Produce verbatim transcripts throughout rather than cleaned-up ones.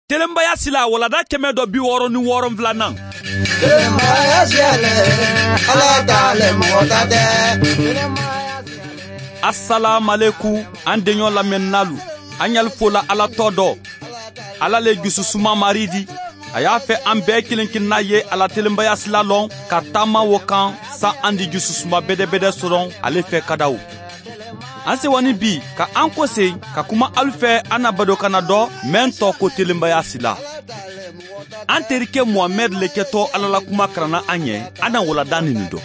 Telenbaya sila walada kɛmɛ dɔ bi wɔɔrɔ ni wɔɔrɔ filanan. Telenbaya siyale, Ala t'ale mɔgɔ ta tɛ. Asalaamaleku an denɲɔ lamɛnnalu, an y'alu fola Ala tɔ dɔ. Ala le jususuma mari di. A y'a fɛ an bɛɛ kelen kelenna ye Ala telenbaya sila lɔn ka taama wo kan san an di jususuma bɛdɛbɛdɛ sɔrɔ ale fɛ kadaw. An sewani bi ka an kɔsen ka kuma alu fɛ an na badokana dɔ mɛn tɔ ko telenbaya sila. An terikɛ Muhamɛd le kɛtɔ Ala la kuma karanna an ɲɛ, an na walada nin dɔ.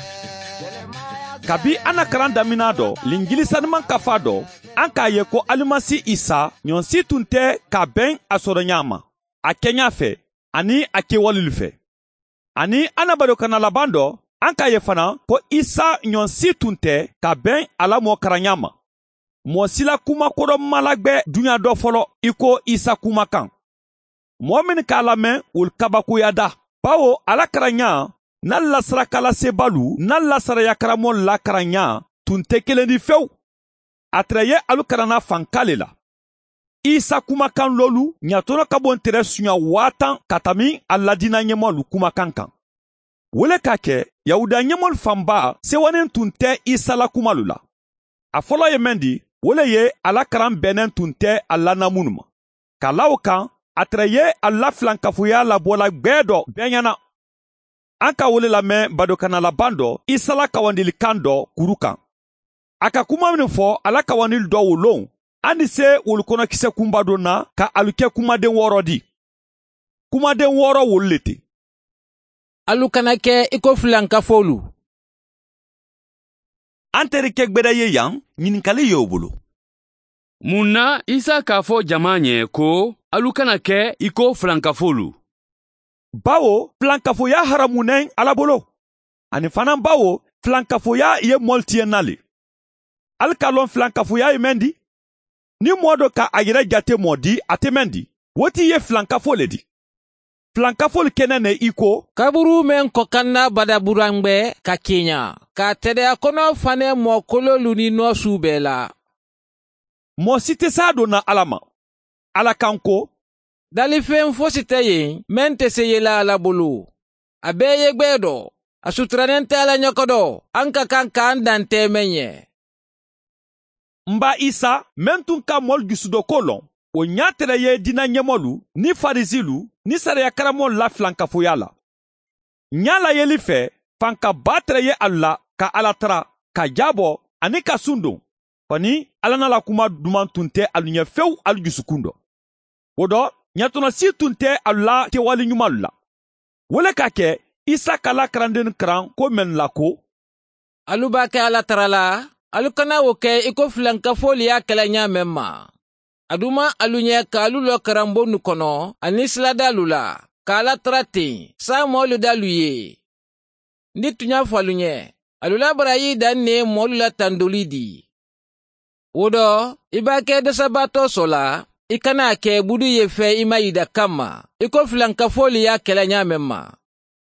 Kabi an na karan damina dɔ, Linjili sanuman kafa dɔ, an k'a ye ko Alimasi Isa ɲɔnsi tun tɛ ka bɛn a sɔrɔ ɲa ma, a kɛɲa fɛ ani a kɛwalelu fɛ. Ani an na badokana laban dɔ, an k'a ye fana ko Isa ɲɔnsi tun tɛ ka bɛn a la mɔ karanɲa ma. Mɔɔ si la kuma kɔrɔ malagbɛ duɲa dɔ fɔlɔ i ko Isa kumakan. Mɔɔ min k'a lamɛn olu kabakoya da. Bawo ala karanɲa n'a lasarakalasebaalu n'a lasaraya karamɔgɔ la karanɲa tun tɛ kelen di fewu. A tɛrɛ ye alu karanna fanka le la. Isa kumakan lolu ɲatɔnɔ ka bon tɛrɛ suɲa waa tan ka tami a ladina ɲɛmɔlu kumakan kan. Wele k'a kɛ Yahuda ɲɛmɔlu fanba sewanen tun tɛ Isa la kumalu la. A fɔlɔ ye mɛn di, wele ye ala karan bɛnnen tun tɛ a lana minnu ma. Ka la o kan, a tɛrɛ ye a la filankafoya labɔla gbɛɛ dɔ bɛɛ ɲɛna. An ka wele lamɛn badokana laban dɔ Isa la kawandilikan dɔ kuru kan. A ka kuma min fɔ ala kawandili dɔ wolon, an ni se wolu kɔnɔ kisɛ kunba don na ka alu kɛ kumaden wɔɔrɔ di. Kumaden wɔɔrɔ wolu le ten. Alu kana kɛ i ko filankafolu. An terikɛ gbɛdɛ ye yan, ɲininkali y'o bolo. Mun na Isa k'a fɔ jama ɲɛ ko alu kana kɛ i ko filankafolu? Bawo filankafoya haramunen Ala bolo. Ani fana bawo filankafoya ye mɔli tiɲɛna le. Alu k'a lɔn filankafoya ye mɛn di? Ni mɔɔ dɔ ka a yɛrɛ jate mɔ di, a tɛ mɛn di. O ti ye filankafo le di. Filankafo kɛnɛ ne i ko kaburu mɛn kɔkanna badaburangbɛ ka kenya ka tɛdɛya kɔnɔ fanɛ mɔkololu ni nɔsu bɛɛ la. Mɔɔ si tɛ s'a donna Ala ma. Ala kan ko dalifɛn fosi tɛ yen mɛn tɛ se yela Ala bolo. A bɛɛ ye gbɛɛ dɔ, a suturanen tɛ Ala ɲɛkɔdɔ, an ka kan k'an dan tɛ mɛn ɲɛ. N ba Isa mɛn tun ka mɔlu jusudɔko lɔn, o ɲa tɛrɛ ye dina ɲɛmɔlu ni farisilu ni sariya karamɔgɔ la filankafoya la. Ɲa la yeli fɛ, fankaba tɛrɛ ye alu la ka Ala tara, ka jabɔ ani ka sun don. Kɔni Ala n'a la kuma duman tun tɛ alu ɲɛ fewu alu jusukun dɔ. O dɔ, ɲɛtɔnɔ si tun tɛ alu la kɛwale ɲumanlu la. Wele ka kɛ Isa k'ala karanden karan ko mɛn la ko alu b'a kɛ Ala tara la, alu kana o kɛ i ko filankafolu y'a kɛlɛ ɲa mɛn ma. A duma alu ɲɛ k'alu lɔ karanbonnu kɔnɔ ani siladalu la, k'Ala tara ten, sa mɔɔlu dalu ye. Ni tun y'a fɔ alu ɲɛ, alu la barayi dan ne mɔɔlu la tandoli di. O dɔ, i b'a kɛ dɛsɛbaatɔ sɔ la, i kana kɛ budu ye fɛ i ma yida kama, i ko filankafolu y'a kɛlɛ ɲa mɛn ma.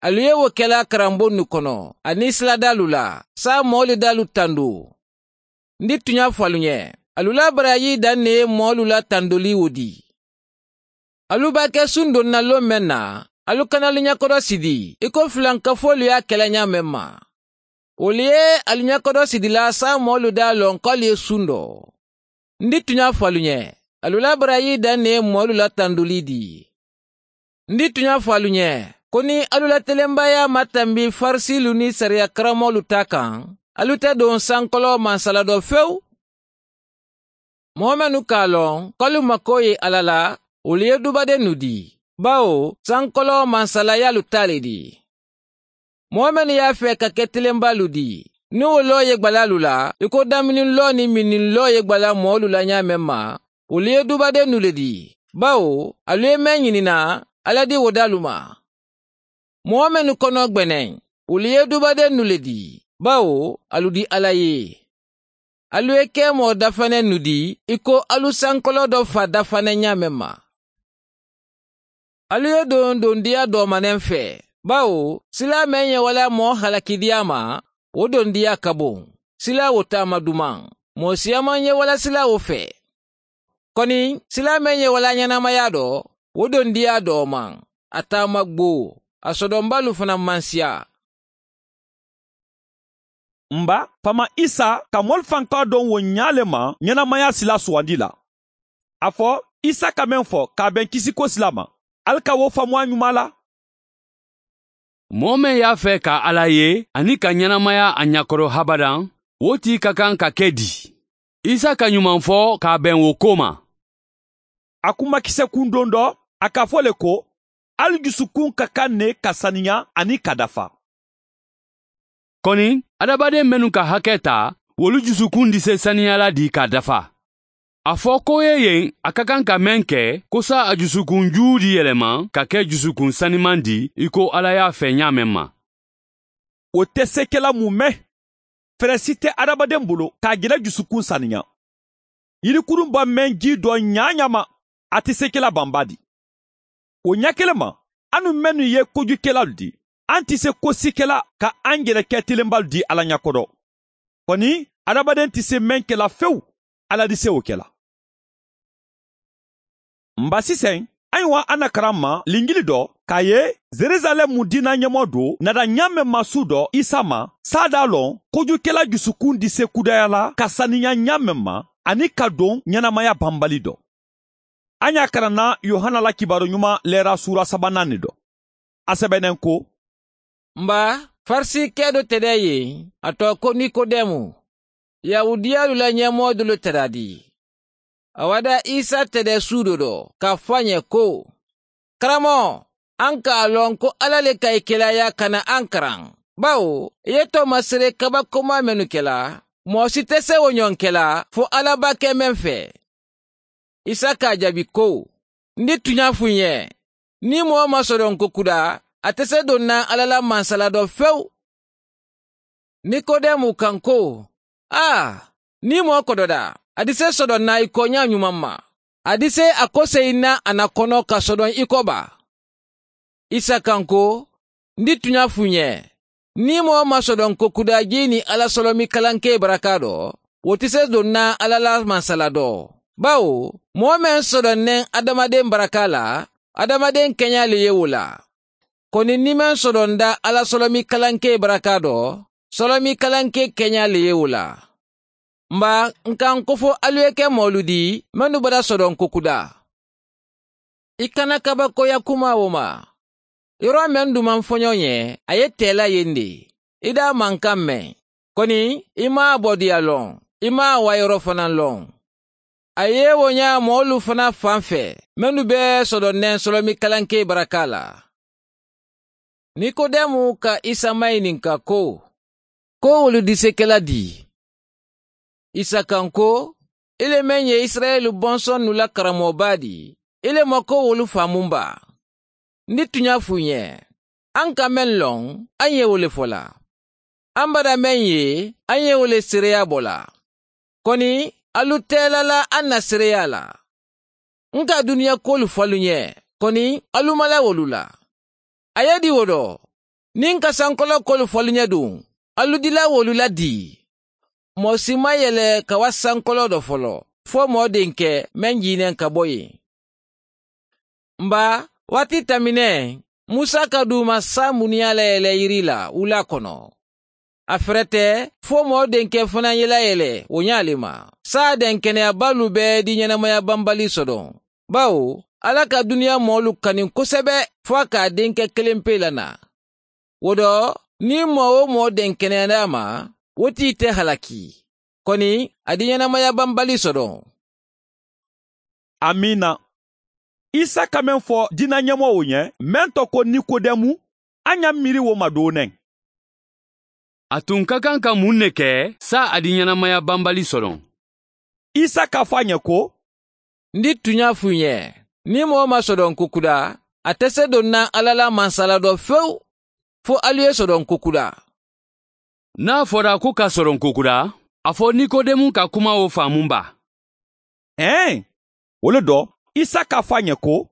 Alu ye o kɛla karanbonnu kɔnɔ ani siladalu la, sa mɔɔlu dalu tando. Ni tun y'a fɔ alu ɲɛ, alu la barayi dan ne mɔɔlu la tandoli o di. Alu b'a kɛ sun donna lon mɛn na, alu kana alu ɲɛkɔrɔ sidi, i ko filankafolu y'a kɛlɛ ɲa mɛn ma. Olu ye alu ɲɛkɔrɔ sidila sa mɔɔlu da lɔn k'alu ye sun dɔ. Ni tun y'a fɔ alu ɲɛ, alu la barayi dan ne mɔɔlu la tandoli di. Ni tun y'a fɔ alu ɲɛ, ko ni alu la telenbaya ma tanbi farisilu ni sariya karamɔgɔlu ta kan, alu tɛ don sankɔlɔ mansala dɔ fewu. Mɔgɔ minnu k'a lɔn k'alu mako ye Ala la, olu ye dubadennu di, bawo sankɔlɔ mansalayalu ta le di. Mɔgɔ minnu y'a fɛ ka kɛ telenbalu di, ni o lɔ ye gbalalu la, i ko damini lɔ ni mini lɔ ye gbala mɔɔlu la ɲa mɛn ma, olu ye dubadennu le di, bawo alu ye mɛn ɲinina, Ala di o dalu ma. Mɔgɔ minnu kɔnɔ gbɛnɛ, olu ye dubadennu le di, bawo alu di Ala ye. Alu ye kɛ mɔgɔ dafanɛ nu di, i ko alu sankɔlɔ dɔ fa dafanɛ ɲa mɛn ma. Alu ye don dondiya dɔmanɛn fɛ, bawo sila mɛn ye wala mɔgɔ halakidiya ma, o dondiya ka bon. Sila o taama duman, mɔgɔ siyaman ye wala sila o fɛ. Kɔni sila mɛn ye wala ɲɛnamaya dɔ, Wo don diya dɔ ma, a taama gbo, a sɔdɔnbalu fana man siya. Nba, fama Isa ka mɔli fanka dɔn wo ɲa le ma ɲɛnamaya sila sugandi la. A fɔ Isa ka mɛn fɔ k'a bɛn kisiko sila ma. Ali ka wo faamuya ɲuman la. Mɔɔ min y'a fɛ ka Ala ye ani ka ɲɛnamaya a ɲakɔrɔ habadan, wo tigi ka kan ka kɛ di? Isa ka ɲuman fɔ k'a bɛn wo ko ma. A kumakisɛ kun don dɔ, a k'a fɔ le ko, ali dusukun ka kan ne ka saniya ani ka dafa. Kɔni, adamaden minnu ka hakɛ ta, wolu dusukun di se saniyala di ka dafa. A fɔ ko ye yen a ka kan ka mɛn kɛ, ko sa a dusukun juu di yɛlɛma ka kɛ dusukun saniman di, i ko Ala y'a fɛ ɲa mɛn ma. O tɛ se kɛla mun mɛn? Fɛɛrɛ si tɛ adamaden bolo k'a jɛrɛ dusukun saniya. Yirikurun ba mɛn ji dɔ ɲa ɲa ma, a tɛ se kɛla banba di. O ɲɛ kelen ma, anu mɛnnu ye kojukɛlaw di, an tɛ se ko si kɛla ka an yɛrɛ kɛ telenbaw di Ala ɲɛkɔrɔ. Kɔni, adamaden tɛ se mɛn kɛla fewu, Ala di se o kɛla. Nba sisan, ayiwa an na karan ma lingili dɔ k'a ye Zerizalɛmu diina ɲɛmɔgɔ do nada ɲa mɛn masu dɔ Isa ma sada lɔn kojukɛla dusukun di se kudaya la ka saniya ɲa mɛn ma ani ka don ɲɛnamaya banbali dɔ. An y'a karanna Yohana la kibaru ɲuman lɛra sura sabanan de dɔ. A sɛbɛnnen ko: Nba, Farisikɛ dɔ tɛ dɛ yen, a tɔ ko Nikodɛmu. Yahudiyalu la ɲɛmɔgɔ dɔ tɛra di. A wada Isa tɛdɛ su dɔ dɔ k'a fɔ a ɲɛ ko, karamɔgɔ, an k'a lɔn ko Ala le ka i kelaya ka na an karan. Bawo, i ye tɔmasere kabakoma minnu kɛla, mɔgɔ si tɛ se o ɲɔgɔn kɛla fo Ala b'a kɛ mɛn fɛ. Isa k'a jaabi ko, n di tunya f'u ɲɛ, ni mɔgɔ ma sɔrɔ ko kuda, a tɛ se don na Ala la mansala dɔ fewu. Nikodɛmu kan ko, aa, ni mɔgɔ kɔdɔda, a di se sɔdɔn na i kɔ ɲa ɲuman ma. A di se a ko se i na a na kɔnɔ ka sɔdɔn i kɔ ba. Isa kan ko, n di tunya f'u ɲɛ, ni mɔgɔ ma sɔdɔn ko kudaji ni Ala sɔlɔmi kalanke baraka dɔ, o tɛ se don na Ala la mansala dɔ. Bawo, mɔgɔ mɛn sɔdɔnnen adamaden baraka la, adamaden kɛɲa le ye o la. Kɔni ni mɛn sɔdɔn da Ala sɔlɔmi kalanke baraka dɔ, sɔlɔmi kalanke kɛɲa le ye o la. Nba, n kan ko fo alu ye kɛ mɔlu di, minnu bada sɔdɔn ko kuda. I kana kabakoya kuma o ma. Yɔrɔ mɛn duman fɔɲɔ ɲɛ, a ye tɛla yen de. I da mankan mɛn. Kɔni, i m'a bɔdiya lɔn, i m'a wayɔrɔ fana lɔn. A ye o ɲa mɔlu fana fan fɛ, minnu bɛ sɔdɔnnɛn sɔlɔmi kalanke baraka la. Nikodɛmu ka Isa maɲininka ko, ko olu disekɛla di? Isa kan ko, ile mɛn ye Israɛlu bɔnsɔn nu la karamɔgɔba di, ile ma ko wolu faamu ba. Ni tun y'a f'u ɲɛ, an ka mɛn lɔn, an ye o le fɔ la. An bada mɛn ye, an ye o le seereya bɔ la. Kɔni, alu tɛla la an na seereya la. N ka duniya kolu fɔlu ɲɛ, kɔni, alu ma la wolu la. A ye di o dɔ, ni n ka sankɔlɔ kolu fɔlu ɲɛ dun, alu dila wolu la di. Mɔgɔ si ma yɛlɛ ka wa sankɔlɔ dɔ fɔlɔ, fo mɔgɔ denkɛ mɛn jinɛ ka bɔ yen. Nba, waati tɛmɛnen, Musa ka d'u ma sa muniya layɛlɛ yiri la wula kɔnɔ. A fɛrɛ tɛ fo mɔgɔ denkɛ fana ye layɛlɛ o ɲ'ale ma. Sa den kɛnɛyabalu bɛɛ di ɲɛnamaya banbali sɔrɔ. Bawo, Ala ka duniya mɔɔlu kani kosɛbɛ fo a k'a denkɛ kelen pe lana. O dɔ, ni mɔgɔ o mɔgɔ den kɛnɛyara ma, o t'i tɛ halaki. Kɔni, a di ɲɛnamaya banbali sɔrɔ. Amina. Isa ka mɛn fɔ diina ɲɛmɔgɔw ɲɛ, mɛn tɔ ko Nikodɛmu, an y'a miiri o ma doonɛ. A tun ka kan ka mun de kɛ sa a di ɲɛnamaya banbali sɔrɔ? Isa k'a fɔ a ɲɛ ko, N di tun y'a f'u ɲɛ, ni mɔgɔ ma sɔrɔ ko kuda, a tɛ se don na Ala la mansala dɔ fewu, fo alu ye sɔrɔ ko kuda. N'a fɔra ko ka sɔrɔ ko kuda, a fɔ Nikodɛmu ka kuma o faamu ba. Ɛn, o le dɔ, Isa k'a fɔ a ɲɛ ko,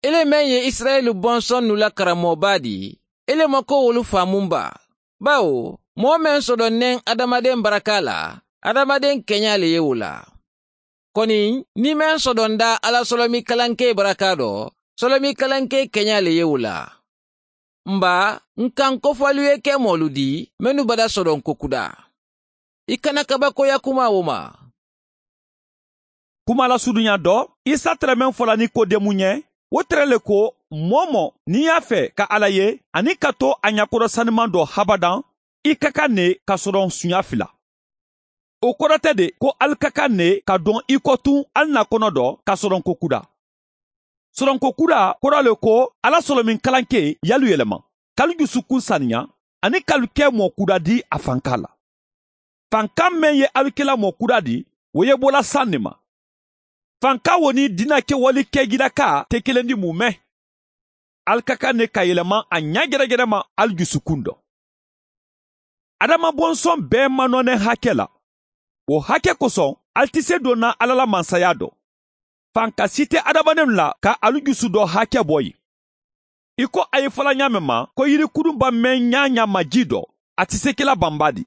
Ele mɛn ye Israɛlu bɔnsɔn nu la karamɔgɔba di, ele ma ko wolu faamu ba. Bawo, mɔgɔ mɛn sɔdɔnnen adamaden baraka la, adamaden kɛɲa le ye o la. Kɔni, ni mɛn sɔdɔnda Ala sɔlɔmi kalanke baraka dɔ, Sɔlɔmi kalanke kɛɲa le ye o la. Nba n kan kofɔlu ye kɛ mɔlu di minnu bada sɔrɔ kokuda. I kana kabakoya kuma o ma. Kuma la sudunya dɔ, Isa tɛrɛmɛn fɔla Nikodemu ɲɛ, o tɛrɛ le ko mɔɔ mɔ n'i y'a fɛ ka Ala ye ani ka to a ɲakɔrɔ saniman dɔ habadan, i ka kan ne ka sɔrɔ sunya fila. O kɔrɔ tɛ de ko ali ka kan ne ka dɔn i kɔ tun ali na kɔnɔ dɔ ka sɔrɔ kokuda. Sɔrɔnko kura kɔrɔ le ko Ala sɔrɔmin kalanke yalu yɛlɛma, kalu dusukun saniya ani kalu kɛ mɔ kura di a fanka la. Fanka mɛn ye alikɛla mɔ kura di, o ye bɔla san de ma. Fanka wo ni dina kɛwale kɛjiraka tɛ kelen di mun mɛn. Ali ka kan ne ka yɛlɛma a ɲɛ gɛrɛgɛrɛ ma ali dusukun dɔ. Adama bɔnsɔn bɛɛ manɔnɛ hakɛ la. O hakɛ kosɔn ali tɛ se donna Ala la mansaya dɔ. Fanka si tɛ adamadenw la ka alu dusu dɔ hakɛ bɔ yen. I ko a ye fɔla ɲa mɛn ma ko yirikurunba mɛn ɲa ɲa ma ji dɔ, a tɛ se kɛla banba di.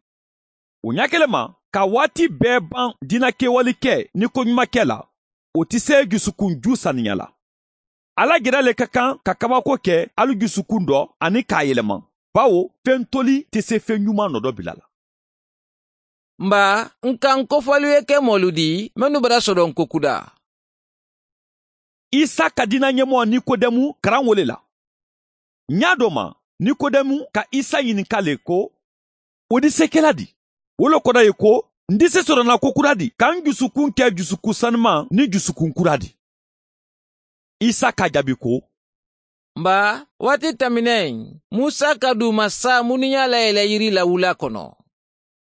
O ɲa kelen ma, ka waati bɛɛ ban dina kɛwale kɛ ni koɲuman kɛ la, o tɛ se dusukunju saniya la. Ala gɛrɛ le ka kan ka kabako kɛ alu dusukun dɔ ani k'a yɛlɛma, bawo fɛn toli tɛ se fɛn ɲuman nɔ dɔ bila la. Nba n kan kofɔlu ye kɛ mɔlu di minnu bara sɔrɔ kokuda. Isa ka dina ɲɛmɔgɔ Nikodemu karan wele la. Ɲa dɔ ma, Nikodemu ka Isa ɲininka le ko, o di se kɛla di? O le kɔrɔ ye ko, n di se sɔrɔna ko kura di, k'an dusukun kɛ dusukun sanuman ni dusukun kura di. Isa ka jaabi ko, Nba, waati tɛmɛnen, Musa ka dumasa minnu y'a layɛlɛ yiri la wula kɔnɔ.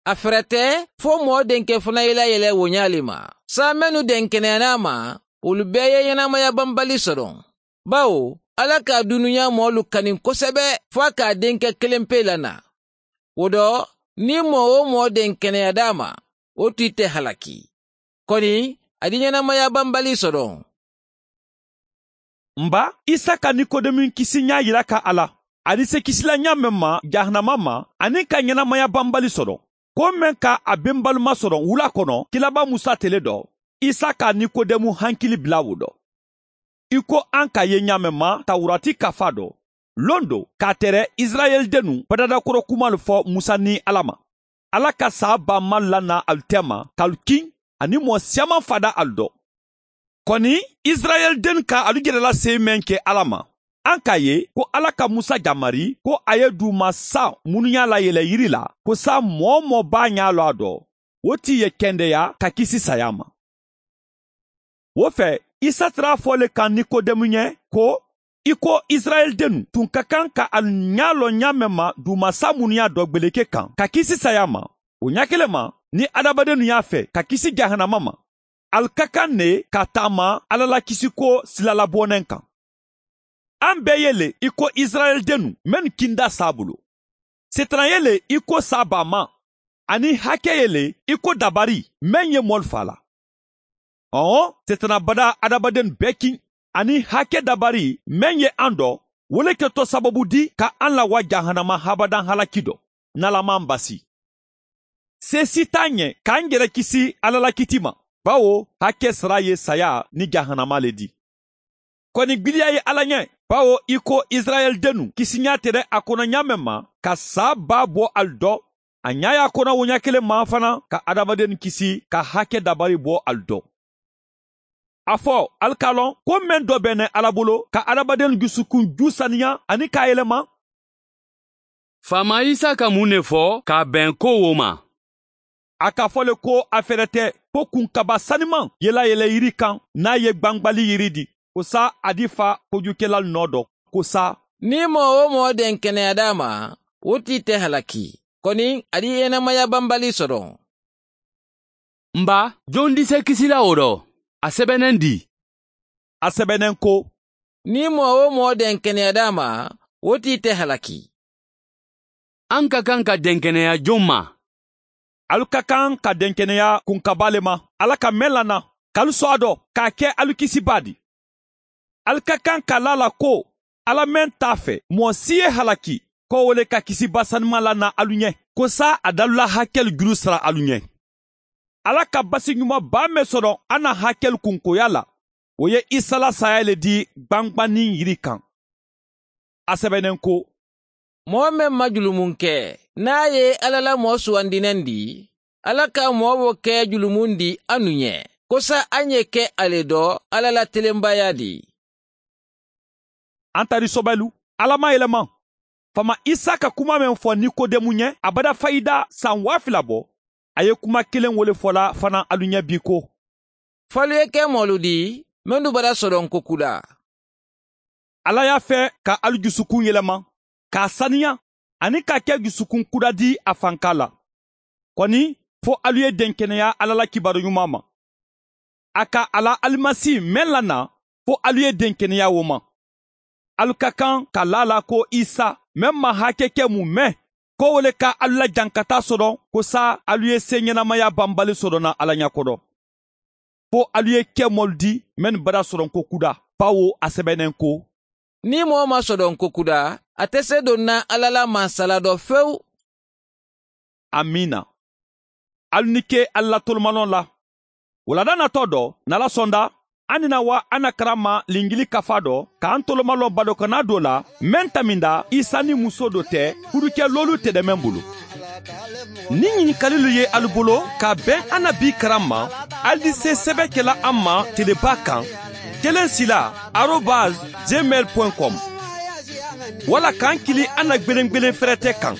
A fɛrɛ tɛ fo mɔɔ denkɛ fana ye layɛlɛ o ɲa ma. Sa minnu denkɛnɛyana ma, olu bɛɛ ye ɲɛnamaya banbali sɔrɔ. Bawo, Ala ka dunuya mɔɔlu kani kosɛbɛ fo a k'a denkɛ kelen pe lana. O dɔ, ni mɔɔ o mɔɔ denkɛnɛya d'a ma, o t'i tɛ halaki. Kɔni, a di ɲɛnamaya banbali sɔrɔ. Nba, Isa ka Nikodemu kisi ɲa yira ka Ala. A di se kisila ɲa mɛn ma jahanama ma ani ka ɲɛnamaya banbali sɔrɔ. Ko mɛn ka a benbalima sɔrɔ wula kɔnɔ, kilaba Musa tele dɔ, Isa ka Nikodemu hankili bila o dɔ. I ko an ka ye ɲa mɛn ma Tawurati kafa dɔ, lon do k'a tɛrɛ Israɛl dennu badadakɔrɔ kumalu fɔ Musa ni Ala ma. Ala ka saa ba ma lana alu tɛma k'alu kin ani mɔɔ siyaman fada alu dɔ. Kɔni Israɛl den ka alu yɛrɛla se mɛn kɛ Ala ma. An k'a ye ko Ala ka Musa jamari ko a ye dumasa minnu y'a layɛlɛ yiri la, ko sa mɔɔ mɔɔ b'a ɲa lɔ a dɔ, o t'i ye kɛndɛya ka kisi saya ma. O fɛ, Isa tara fɔ le kan Nikodemu ɲɛ ko i ko Israɛl dennu tun ka kan ka alu ɲa lɔ ɲa mɛn ma dumasa minnu y'a dɔ gbeleke kan ka kisi saya ma, o ɲa kelen ma ni adamadennu y'a fɛ ka kisi jahanama ma, alu ka kan ne ka taama Ala la kisiko silalabɔnɛ kan. An bɛɛ ye le i ko Israɛl dennu minnu kinda sa bolo. Setana ye le i ko sa bama, ani hakɛ ye le i ko dabari mɛn ye mɔlu fa la. Ɔwɔ, setana bada adamaden bɛɛ kin ani hakɛ dabari mɛn ye an dɔ, o le kɛtɔ sababu di ka an lawa jahanama habadan halaki dɔ, n'Ala basi. Se si t'an ɲɛ k'an yɛrɛ kisi Ala la kiti ma, bawo hakɛ sara ye saya ni jahanama le di. Kɔni gbiliya ye Ala ɲɛ, bawo i ko Israɛl dennu kisiɲa tɛrɛ a kɔnɔ ɲa mɛn ma ka saa ba bɔ alu dɔ, a ɲa y'a kɔnɔ o ɲa kelen ma fana ka adamaden kisi ka hakɛ dabari bɔ alu dɔ. A fɔ alu k'a lɔn ko mɛn dɔ bɛnɛ Ala bolo ka adamaden dusukun ju saniya ani k'a yɛlɛma. Faama Isa ka mun de fɔ k'a bɛn ko o ma? A ka fɔ le ko a fɛrɛ tɛ ko kunkaba saniman yɛlɛyɛlɛ yiri kan n'a ye gbangbali yiri di, ko sa a di fa kojukɛla nɔ dɔ, ko sa. Ni mɔɔ o mɔɔ den kɛnɛya d'a ma, o t'i tɛ halaki. Kɔni, a di ɲɛnamaya banbali sɔrɔ. Nba, jɔn di se kisila o dɔ? A sɛbɛnnen di. A sɛbɛnnen ko, Ni mɔɔ o mɔɔ den kɛnɛya d'a ma, o t'i tɛ halaki. An ka kan ka denkɛnɛya jɔn ma? Alu ka kan ka denkɛnɛya kunkaba le ma, Ala ka mɛn lana, k'alu sɔn a dɔ, k'a kɛ alu kisiba di. Alu ka kan ka la la ko Ala mɛn t'a fɛ mɔɔ si ye halaki, ko o le ka kisiba sanuma lana alu ɲɛ, ko sa a dalula hakɛlu juru sara alu ɲɛ. Ala ka basi ɲuman ba mɛn sɔrɔ an na hakɛlu kunkoya la, O ye Isa la saya le di gwangwannin yiri kan. A sɛbɛnnen ko: Mɔgɔ min ma julumun kɛ, n'a ye Ala la mɔgɔ sugandinen di, Ala ka mɔgɔ b'o kɛ julumun di anu ɲɛ, kosa an ye kɛ ale dɔ Ala la telenbaya di. An tari sɔbɛlu, Ala ma yɛlɛma. Fama Isa ka kuma min fɔ Nikodemu ɲɛ, a bada fayida san waa fila bɔ, a ye kuma kelen wele fɔla fana alu ɲɛ bi ko: F'alu ye kɛ mɔlu di, minnu bara sɔrɔ nkoku la. Ala y'a fɛ ka alu dusukun yɛlɛma, k'a saniya, ani k'a kɛ dusukun kura di a fanka la. Kɔni, fo alu ye denkɛnɛya Ala la kibaru ɲuman ma. A ka ala alimasi mɛn lana, fo alu ye denkɛnɛya o ma. Alu ka kan ka la la ko Isa mɛn ma hakɛ kɛ mun mɛn, ko wele ka alu la jankata sɔrɔ, ko sa alu ye se ɲɛnamaya banbali sɔrɔ na Ala ɲɛkɔrɔ. Fo alu ye kɛ mɔlu di mɛn bara sɔrɔ ko kuda, bawo a sɛbɛnnen ko: Ni mɔgɔ ma sɔrɔ ko kuda, a tɛ se don na Ala la mansala dɔ fewu. Amina. Alu ni ke Ala tolomanɔ la. Wulada natɔ dɔ, n'Ala sɔnda, an nina wa an na karama lingili kafa dɔ, k'an tolomalɔ badokana dɔ la, mɛn taminda Isa ni muso dɔ tɛ, furukɛ lolu tɛ dɛ mɛn bolo. Ni ɲininkalilu ye alu bolo ka bɛn an na bi karan ma, alu di se sɛbɛn kɛla an ma teleba kan, kelen sila arobase gmail point com, wala k'an kili an na gwelen-gwelen fɛrɛtɛ kan,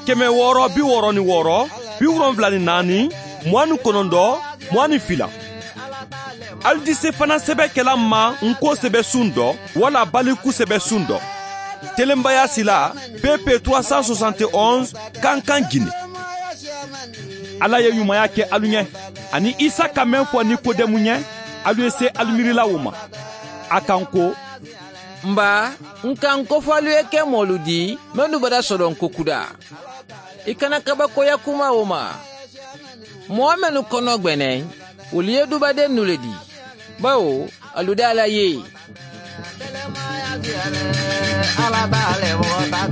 kɛmɛ wɔɔrɔ bi wɔɔrɔ ni wɔɔrɔ, bi wolonfila ni naani, mugan ni kɔnɔntɔn, mugan ni fila. Alu di se fana sɛbɛn kɛla ma nko sɛbɛ sun dɔ, wala baliku sɛbɛ sun dɔ. Telenbaya sila P P trois cent soixante et onze Kankan Guinée. Ala ye ɲumanya kɛ alu ɲɛ, ani Isa ka mɛn fɔ Nikodemu ɲɛ, alu ye se alu miirila o ma. A kan ko: Nba, n kan ko fɔ alu ye kɛ mɔlu di, minnu bara sɔrɔ nko kuda. I kana kabakoya kuma o ma. Mɔgɔ minnu kɔnɔ gbɛnɛ, olu ye dubaden nu le di. Bawo, alu da Ala ye. Ala t'ale mɔgɔ ta.